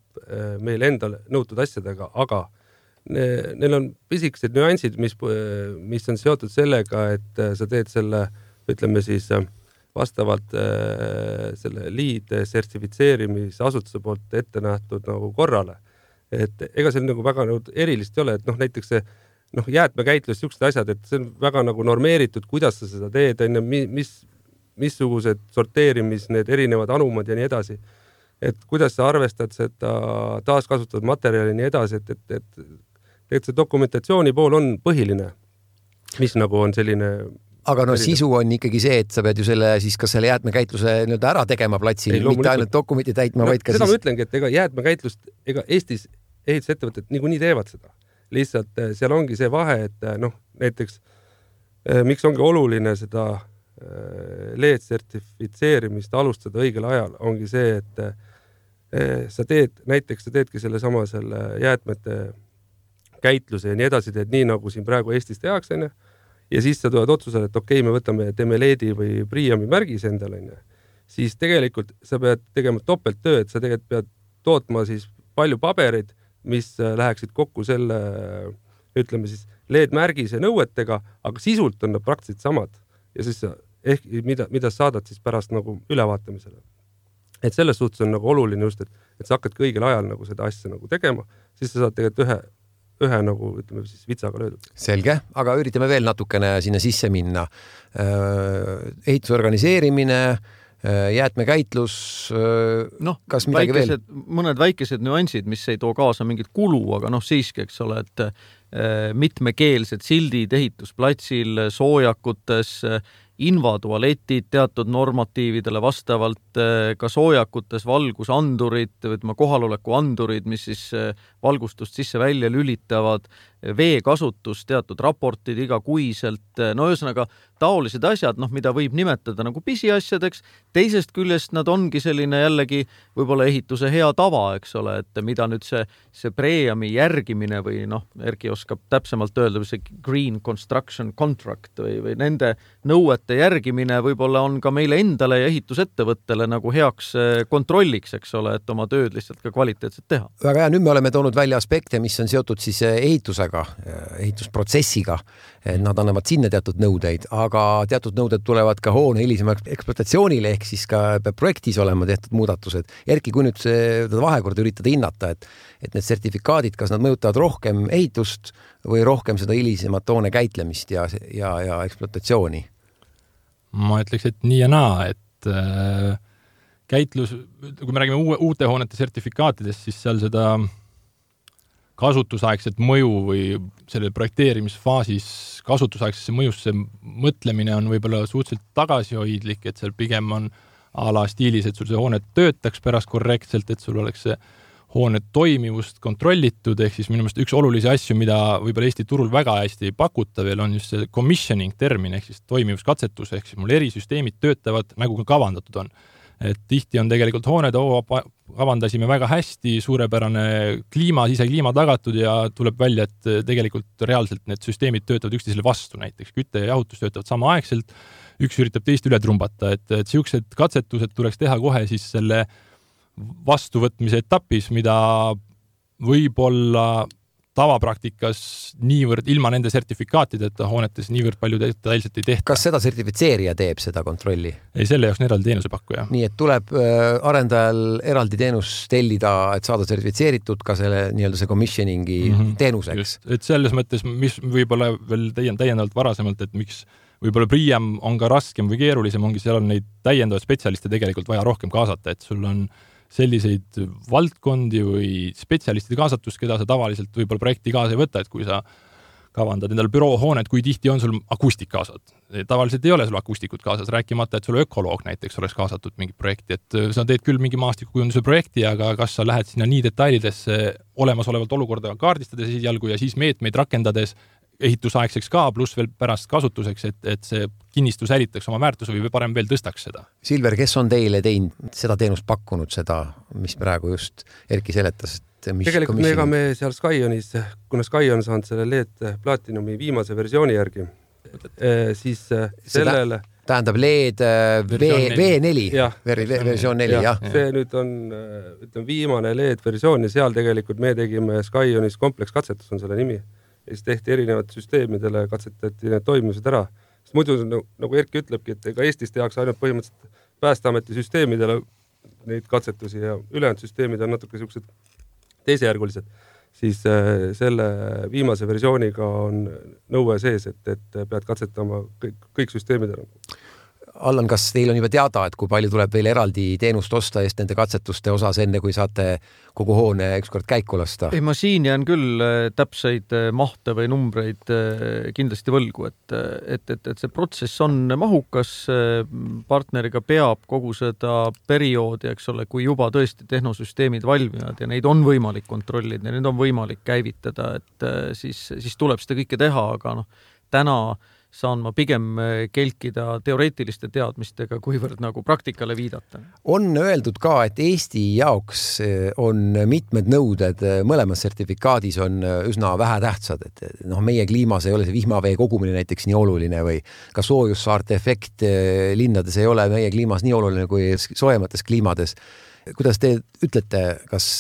meil endal nõutud asjadega, aga neil on pisikesed nüansid, mis, mis on seotud sellega, et sa teed selle, ütleme siis vastavalt selle liid sertifitseerimise asutuse poolt ette nähtud nagu korrale. Et ega seal nagu väga nagu erilist ei ole, et noh, näiteks see noh, jäätmekäitlus, siuksed asjad, et see on väga nagu normeeritud, kuidas sa seda teed, mis, missugused sorteerimis, need erinevad anumad ja nii edasi. Et kuidas sa arvestad seda taaskasutatud materjali ja nii edasi, et, et, et, et see dokumentatsiooni pool on põhiline, mis nagu on selline... Aga no sisu on ikkagi see, et sa pead ju selle, siis kas selle jäätmekäitluse nii-öelda ära tegema platsil, ei, mitte ainult dokumenti täitma, no, vaid ka seda siis... ma ütlengi, et ega jäätmekäitlust, ega Eestis ehitusettevõtted niikuinii teevad seda. Lihtsalt seal ongi see vahe, et noh, näiteks miks ongi oluline seda L E D sertifitseerimist alustada õigel ajal, ongi see, et sa teed, näiteks sa teedki selle sama selle jäätmete käitluse ja nii edasi, teed nii, nagu siin praegu Eestis tehakse, ja siis sa tuled otsusele, et okei, me võtame teeme L E D-i või Preemi märgis endale, siis tegelikult sa pead tegema topelttöö, et sa tegelikult pead tootma siis palju pabereid, mis läheksid kokku selle, ütleme siis, L E D-märgise nõuetega, aga sisult on nad praktiliselt samad. Ja siis ehk, mida, mida saadad siis pärast nagu ülevaatamisele. Et selles suhtes on nagu oluline just, et, et sa hakkadki õigel ajal nagu seda asja nagu tegema, siis sa saad tegelikult ühe, ühe nagu, ütleme siis, vitsaga löödud. Selge, aga üritame veel natukene sinna sisse minna. Ehitusorganiseerimine, jäätmekäitlus, noh, kas midagi väikesed, veel? Mõned väikesed nüansid, mis ei too kaasa mingit kulu, aga noh, siiski, eks ole, et mitmekeelsed sildid ehitusplatsil, soojakutes invatualetid teatud normatiividele vastavalt, ka soojakutes valgusandurid, võtma kohaloleku andurid, mis siis valgustust sisse-välja lülitavad, veekasutus, teatud raportid igakuiselt, no ühesõnaga taolised asjad, noh, mida võib nimetada nagu pisiasjadeks, teisest küljest nad ongi selline jällegi võib-olla ehituse hea tava, eks ole, et mida nüüd see, see preami järgimine või noh, Erki oskab täpsemalt öelda, või see green construction contract või, või nende nõuete järgimine võib-olla on ka meile endale ja ehitusettevõttele nagu heaks kontrolliks, eks ole, et oma tööd lihtsalt ka kvaliteetselt teha. Väga hea, nüüd me oleme toonud välja aspekte, mis on seotud siis ehitusega, ehitusprotsessiga, nad annavad sinna teatud nõudeid, aga teatud nõuded tulevad ka hoone hilisema ekspluatatsioonile, ehk siis ka peab projektis olema tehtud muudatused. Erki, kui nüüd seda vahekorda üritada hinnata, et, et need sertifikaadid, kas nad mõjutavad rohkem ehitust või rohkem seda hilisemat hoone käitlemist ja, ja, ja ekspluatatsiooni? Ma ütleks, et nii ja naa, et äh, käitlus, kui me räägime uue, uute hoonete sertifikaatidest, siis seal seda kasutusaegset mõju või selle projekteerimisfaasis kasutusaegsesse mõjusse mõtlemine on võib-olla suhteliselt tagasihoidlik, et seal pigem on a la stiilis, et sul see hoone töötaks pärast korrektselt, et sul oleks see hoone toimivust kontrollitud, ehk siis minu meelest üks olulisi asju, mida võib-olla Eesti turul väga hästi ei pakuta veel, on just see commissioning termin, ehk siis toimivuskatsetus, ehk siis mul erisüsteemid töötavad nagu ka kavandatud on. Et tihti on tegelikult hooned, oo, kavandasime väga hästi, suurepärane kliima, sisekliima tagatud ja tuleb välja, et tegelikult reaalselt need süsteemid töötavad üksteisele vastu, näiteks kütte ja jahutus töötavad samaaegselt, üks üritab teist üle trumbata, et, et siuksed katsetused tuleks teha kohe siis selle vastuvõtmise etapis, mida võib-olla tavapraktikas niivõrd ilma nende sertifikaatideta hoonetes niivõrd palju detailselt ei tehta. Kas seda sertifitseerija teeb seda kontrolli? Ei, selle jaoks on eraldi teenusepakkuja. Nii, et tuleb arendajal eraldi teenus tellida, et saada sertifitseeritud ka selle nii-öelda see commissioningi mm-hmm. teenuseks. Just, et selles mõttes, mis võib-olla veel täiendavalt varasemalt, et miks võib-olla Priam on ka raskem või keerulisem, ongi seal on neid täiendavaid spetsialiste tegelikult vaja rohkem kaasata, et sul on selliseid valdkondi või spetsialistide kaasatust, keda sa tavaliselt võib-olla projekti kaasa ei võta, et kui sa kavandad endal büroohoonet, kui tihti on sul akustik kaasad. Tavaliselt ei ole sul akustikut kaasas, rääkimata, et sul ökoloog näiteks oleks kaasatud mingi projekti, et sa teed küll mingi maastikukujunduse projekti, aga kas sa lähed sinna nii detailidesse olemasolevalt olukorda kaardistades esialgu ja siis meetmeid rakendades ehitusaegseks ka, pluss veel pärast kasutuseks, et, et see kinnistu säilitaks oma väärtuse või parem veel tõstaks seda. Silver, kes on teile teinud seda teenust pakkunud, seda, mis praegu just Erki seletas? Mis tegelikult me, ega me seal Skyonis, kuna Sky on saanud selle L E D Platinumi viimase versiooni järgi, siis sellele... Tähendab L E D V neli, versioon neli, jah. See nüüd on ütleme, viimane L E D versioon ja seal tegelikult me tegime Skyonis komplekskatsetus on selle nimi. Ja siis tehti erinevad süsteemidele, katsetati need toimimised ära. Sest muidu, nagu Erki ütlebki, et ega Eestis tehakse ainult põhimõtteliselt Päästeameti süsteemidele neid katsetusi ja ülejäänud süsteemid on natuke sellised teisejärgulised. Siis selle viimase versiooniga on nõue sees, et, et pead katsetama kõik, kõik süsteemidele. Allan, kas teil on juba teada, et kui palju tuleb veel eraldi teenust osta eest nende katsetuste osas, enne kui saate kogu hoone ükskord käiku lasta? Ei, ma siin jään küll täpseid mahte või numbreid kindlasti võlgu, et, et, et, et see protsess on mahukas, partneriga peab kogu seda perioodi, eks ole, kui juba tõesti tehnosüsteemid valmivad ja neid on võimalik kontrollida ja neid on võimalik käivitada, et siis, siis tuleb seda kõike teha, aga noh, täna saan ma pigem kelkida teoreetiliste teadmistega, kuivõrd nagu praktikale viidata. On öeldud ka, et Eesti jaoks on mitmed nõuded, mõlemas sertifikaadis on üsna vähe tähtsad, et noh, meie kliimas ei ole see vihmavee kogumine näiteks nii oluline või ka soojussaarte efekt linnades ei ole meie kliimas nii oluline kui soojemates kliimades. Kuidas te ütlete, kas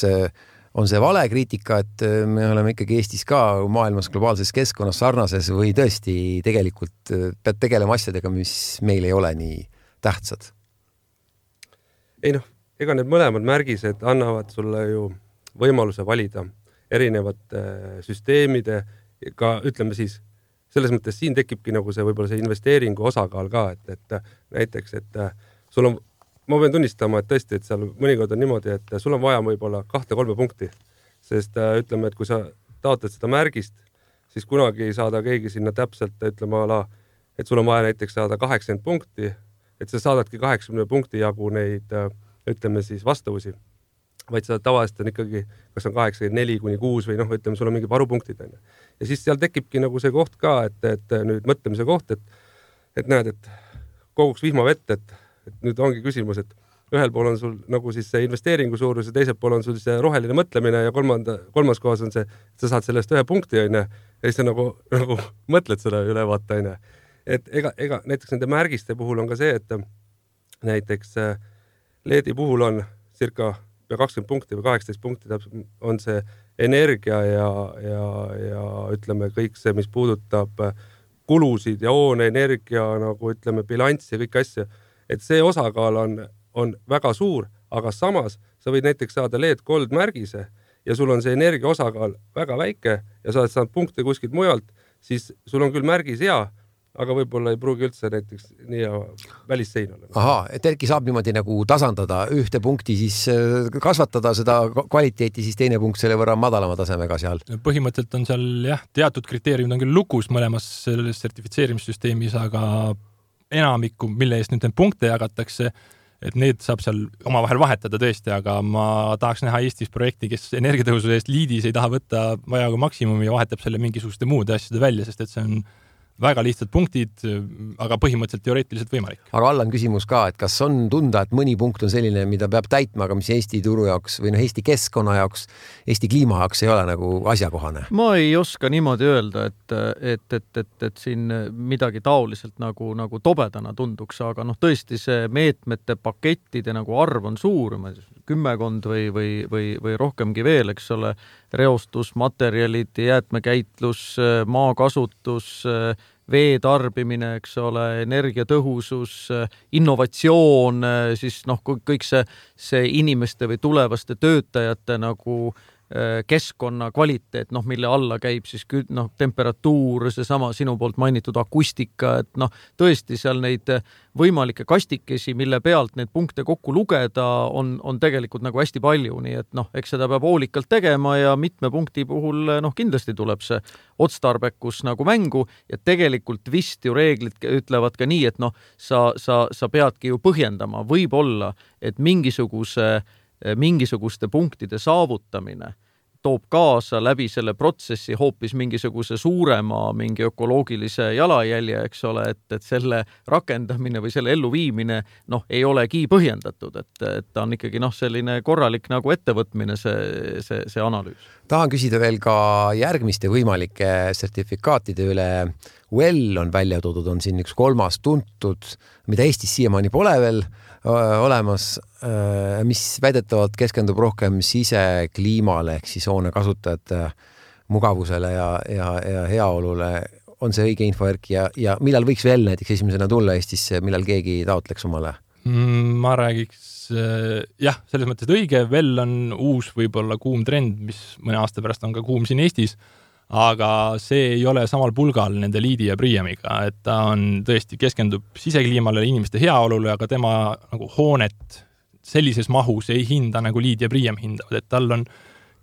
on see vale kriitika, et me oleme ikkagi Eestis ka maailmas globaalses keskkonnas sarnases või tõesti tegelikult pead tegelema asjadega, mis meil ei ole nii tähtsad? Ei noh, ega need mõlemad märgised annavad sulle ju võimaluse valida erinevate süsteemide, ka ütleme siis, selles mõttes siin tekibki nagu see võib-olla see investeeringu osakaal ka, et, et näiteks, et sul on ma pean tunnistama, et tõesti, et seal mõnikord on niimoodi, et sul on vaja võib-olla kahte-kolme punkti, sest ütleme, et kui sa taotled seda märgist, siis kunagi ei saada keegi sinna täpselt, ütleme ala et sul on vaja näiteks saada kaheksakümmend punkti, et sa saadadki kaheksakümne punkti jagu neid, ütleme siis vastavusi, vaid sa tavaliselt on ikkagi, kas on kaheksakümmend neli kuni kuus või noh, ütleme, sul on mingi varupunktid. Ja siis seal tekibki nagu see koht ka, et, et nüüd mõtlemise koht, et, et näed, et koguks vihmavett, et, et nüüd ongi küsimus, et ühel pool on sul nagu siis see investeeringu suurus ja teisel pool on sul see roheline mõtlemine ja kolmanda, kolmas kohas on see, et sa saad sellest ühe punkti, on ja siis sa nagu, nagu mõtled seda üle vaata, on et ega, ega näiteks nende märgiste puhul on ka see, et näiteks L E D-i puhul on circa kakskümmend punkti või kaheksateist punkti on see energia ja, ja, ja ütleme kõik see, mis puudutab kulusid ja hoone energia, nagu ütleme bilanss ja kõik asja, et see osakaal on, on väga suur, aga samas sa võid näiteks saada L E D Gold märgise ja sul on see energia osakaal väga väike ja sa oled saanud punkte kuskilt mujalt, siis sul on küll märgis hea, aga võib-olla ei pruugi üldse näiteks nii välissein olla. Ahaa, et Erki saab niimoodi nagu tasandada ühte punkti, siis kasvatada seda kvaliteeti, siis teine punkt selle võrra madalama tasemega seal. Põhimõtteliselt on seal jah, teatud kriteeriumid on küll lukus mõlemas selles sertifitseerimissüsteemis, aga enamikku, mille eest nüüd need punkte jagatakse, et need saab seal omavahel vahetada tõesti, aga ma tahaks näha Eestis projekti, kes energiatõhususe eest liidis ei taha võtta vajaga maksimumi ja vahetab selle mingisuguste muude asjade välja, sest et see on väga lihtsad punktid, aga põhimõtteliselt teoreetiliselt võimalik. Aga Allan küsimus ka, et kas on tunda, et mõni punkt on selline, mida peab täitma, aga mis Eesti turu jaoks või no Eesti keskkonna jaoks, Eesti kliima jaoks ei ole nagu asjakohane? Ma ei oska niimoodi öelda, et, et, et, et, et siin midagi taoliselt nagu, nagu tobedana tunduks, aga noh, tõesti see meetmete pakettide nagu arv on suur, kümmekond või, või, või, või rohkemgi veel, eks ole, reostus, materjalid, jäätmekäitlus, maakasutus, vee tarbimine, eks ole, energiatõhusus, innovatsioon, siis noh, kõik see, see inimeste või tulevaste töötajate nagu keskkonna kvaliteet, noh, mille alla käib siis noh, temperatuur, seesama sinu poolt mainitud akustika, et noh, tõesti seal neid võimalikke kastikesi, mille pealt neid punkte kokku lugeda, on, on tegelikult nagu hästi palju, nii et noh, eks seda peab hoolikalt tegema ja mitme punkti puhul noh, kindlasti tuleb see otstarbekus nagu mängu ja tegelikult vist ju reeglid ütlevad ka nii, et noh, sa, sa, sa peadki ju põhjendama, võib-olla, et mingisuguse mingisuguste punktide saavutamine toob kaasa läbi selle protsessi hoopis mingisuguse suurema mingi ökoloogilise jalajälje, eks ole, et, et selle rakendamine või selle elluviimine noh, ei olegi põhjendatud, et, et ta on ikkagi noh, selline korralik nagu ettevõtmine see, see, see analüüs. Tahan küsida veel ka järgmiste võimalike sertifikaatide üle. Well on välja toodud, on siin üks kolmas tuntud, mida Eestis siiamaani pole veel olemas, mis väidetavalt keskendub rohkem sisekliimale ehk siis hoone kasutajate mugavusele ja, ja, ja heaolule. On see õige info, Erki, ja, ja millal võiks veel näiteks esimesena tulla Eestisse, millal keegi taotleks omale? Ma räägiks, jah, selles mõttes, et õige, veel on uus võib-olla kuum trend, mis mõne aasta pärast on ka kuum siin Eestis, aga see ei ole samal pulgal nende liidi ja Priemiga, et ta on tõesti keskendub sisekliimale, inimeste heaolule, aga tema nagu hoonet sellises mahus ei hinda nagu liid ja Priem hindavad, et tal on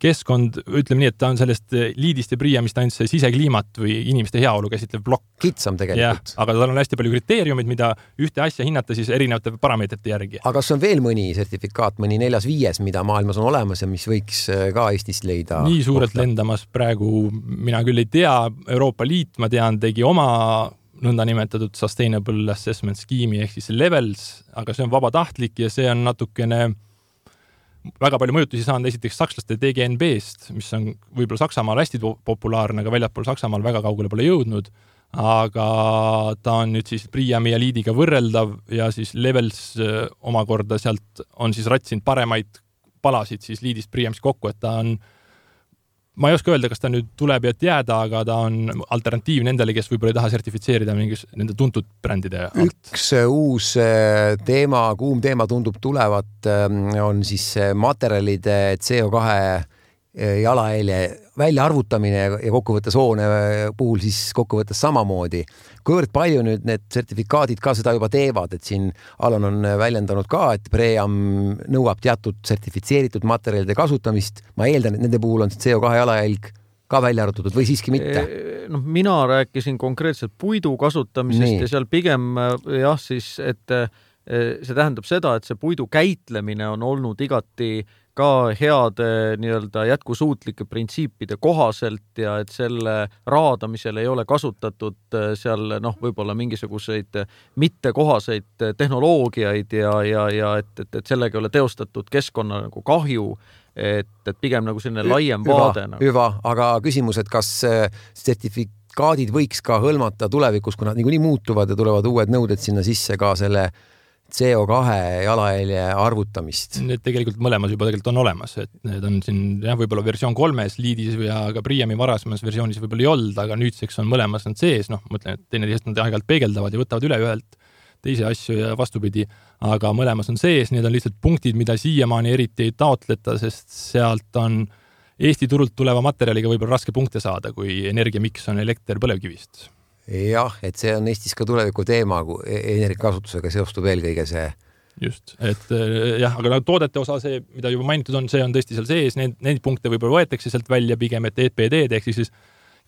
keskkond, ütleme nii, et ta on sellest liidist ja Priemist ainult see sisekliimat või inimeste heaolu käsitlev plokk. Kitsam tegelikult. Ja, aga tal on hästi palju kriteeriumid, mida ühte asja hinnata siis erinevate parameetrite järgi. Aga kas on veel mõni sertifikaat, mõni neljas viies, mida maailmas on olemas ja mis võiks ka Eestist leida? Nii suurelt kohta lendamas praegu mina küll ei tea. Euroopa Liit, ma tean, tegi oma nõnda nimetatud Sustainable Assessment Scheme'i ehk siis Levels, aga see on vabatahtlik ja see on natukene väga palju mõjutusi saanud esiteks sakslaste D G N B-st, mis on võib-olla Saksamaal hästi populaarne, aga väljaspool Saksamaal väga kaugele pole jõudnud, aga ta on nüüd siis Priemi ja liidiga võrreldav ja siis Levels omakorda sealt on siis ratsinud paremaid palasid siis liidist Priemist kokku, et ta on, ma ei oska öelda, kas ta nüüd tuleb ja jääda, aga ta on alternatiiv nendele, kes võib-olla ei taha sertifitseerida mingis nende tuntud brändide alt. Üks uus teema, kuum teema tundub tulevat, on siis materjalide C O kahe jalajälje välja arvutamine ja kokkuvõttes hoone puhul siis kokkuvõttes samamoodi. Kuivõrd palju nüüd need sertifikaadid ka seda juba teevad, et siin Alan on väljendanud ka, et Pream nõuab teatud sertifitseeritud materjalide kasutamist. Ma eeldan, et nende puhul on C O kahe jalajälg ka välja arvutatud või siiski mitte? noh, mina rääkisin konkreetselt puidu kasutamisest Nii. ja seal pigem jah, siis, et see tähendab seda, et see puidu käitlemine on olnud igati ka heade nii-öelda jätkusuutlike printsiipide kohaselt ja et selle raadamisel ei ole kasutatud seal noh, võib-olla mingisuguseid mittekohaseid tehnoloogiaid ja, ja, ja et, et, et sellega ei ole teostatud keskkonna nagu kahju, et, et pigem nagu selline laiem Hüva, vaade. Nagu. Hüva, aga küsimus, et kas sertifikaadid võiks ka hõlmata tulevikus, kui nad niikuinii muutuvad ja tulevad uued nõuded sinna sisse ka selle C O kahe jalajälje arvutamist? Need tegelikult mõlemas juba tegelikult on olemas, et need on siin jah, võib-olla versioon kolmes liidis ja ka Priami varasemas versioonis võib-olla ei olnud, aga nüüdseks on mõlemas nad sees, noh, mõtlen, et teine teisest nad aeg-ajalt peegeldavad ja võtavad üle ühelt teise asju ja vastupidi, aga mõlemas on sees, need on lihtsalt punktid, mida siiamaani eriti ei taotleta, sest sealt on Eesti turult tuleva materjaliga võib-olla raske punkte saada, kui energiamiks on elekter põlevkivist. Jah, et see on Eestis ka tuleviku teema, kui energiakasutusega seostub eelkõige see. Just, et jah, aga toodete osa see, mida juba mainitud on, see on tõesti seal sees, need, need punkte võib-olla võetakse sealt välja pigem, et E P D-d ehk siis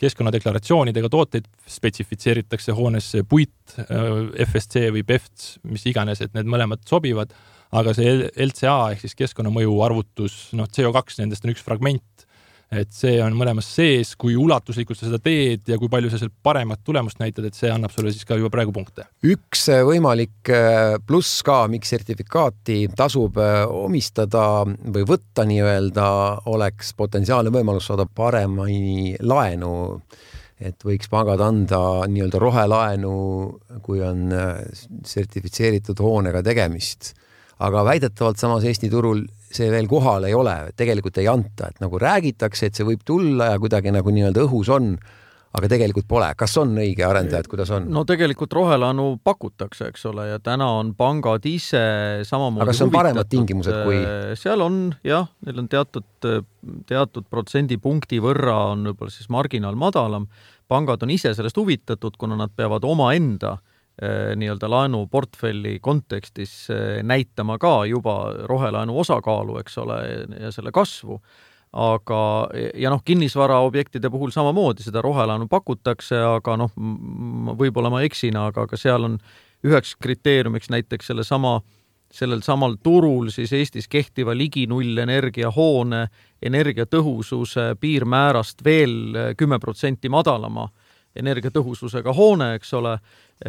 keskkonnadeklaratsioonidega tooteid spetsifitseeritakse hoonesse puit, F S C või P E F T, mis iganes, et need mõlemad sobivad, aga see L C A ehk siis keskkonnamõju arvutus, noh, C O kaks nendest on üks fragment, et see on mõlemas sees, kui ulatuslikult sa seda teed ja kui palju sa seal paremat tulemust näitad, et see annab sulle siis ka juba praegu punkte. Üks võimalik pluss ka, miks sertifikaati tasub omistada või võtta nii-öelda, oleks potentsiaalne võimalus saada paremini laenu, et võiks pangad anda nii-öelda rohelaenu, kui on sertifitseeritud hoonega tegemist. Aga väidetavalt samas Eesti turul see veel kohal ei ole, tegelikult ei anta, et nagu räägitakse, et see võib tulla ja kuidagi nagu nii-öelda õhus on, aga tegelikult pole. Kas on õige arendajad, kuidas on? No tegelikult rohelaenu pakutakse, eks ole, ja täna on pangad ise samamoodi aga kas on paremad tingimused kui? Seal on, jah, neil on teatud, teatud protsendipunkti võrra on võib-olla siis marginaal madalam. Pangad on ise sellest huvitatud, kuna nad peavad oma enda nii-öelda laenu portfelli kontekstis näitama ka juba rohelaenu osakaalu, eks ole, ja selle kasvu. Aga, ja noh, kinnisvara objektide puhul samamoodi seda rohelaenu pakutakse, aga noh, võib-olla ma eksina, aga, aga seal on üheks kriteeriumiks näiteks selle sama, sellel samal turul siis Eestis kehtiva ligi null energia hoone energiatõhususe piirmäärast veel kümme protsenti madalama energiatõhususega hoone, eks ole,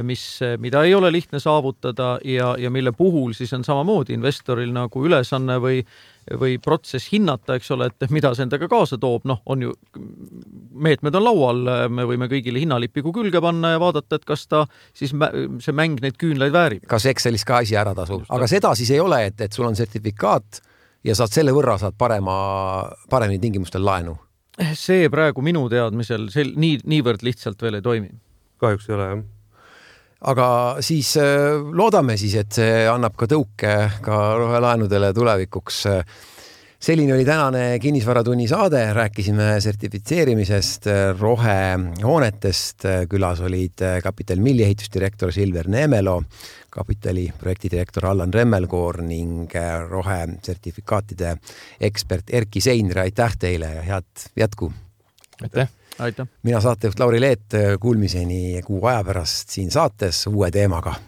mis, mida ei ole lihtne saavutada ja, ja mille puhul siis on samamoodi investoril nagu ülesanne või, või protsess hinnata, eks ole, et mida see endaga kaasa toob, noh, on ju, meetmed on laual, me võime kõigile hinnalipigu külge panna ja vaadata, et kas ta siis see mäng neid küünlaid väärib. Kas Excelis ka asi ära tasub, aga seda siis ei ole, et, et sul on sertifikaat ja saad selle võrra saad parema, paremini tingimustel laenu. See praegu minu teadmisel sel, nii, niivõrd lihtsalt veel ei toimi. Kahjuks ei ole, jah. Aga siis loodame siis, et see annab ka tõuke ka rohelaenudele tulevikuks. Selline oli tänane Kinnisvaratunni saade, rääkisime sertifitseerimisest, rohehoonetest, külas olid Capital Milli ehitusdirektor Silver Neemelo, Kapitali projektidirektor Allan Remmelkoor ning rohesertifikaatide ekspert Erki Seinre. Aitäh teile ja head jätku! Aitäh! Aitäh! Mina saatejuht Lauri Leet, kuulmiseni kuu aja pärast siin saates uue teemaga.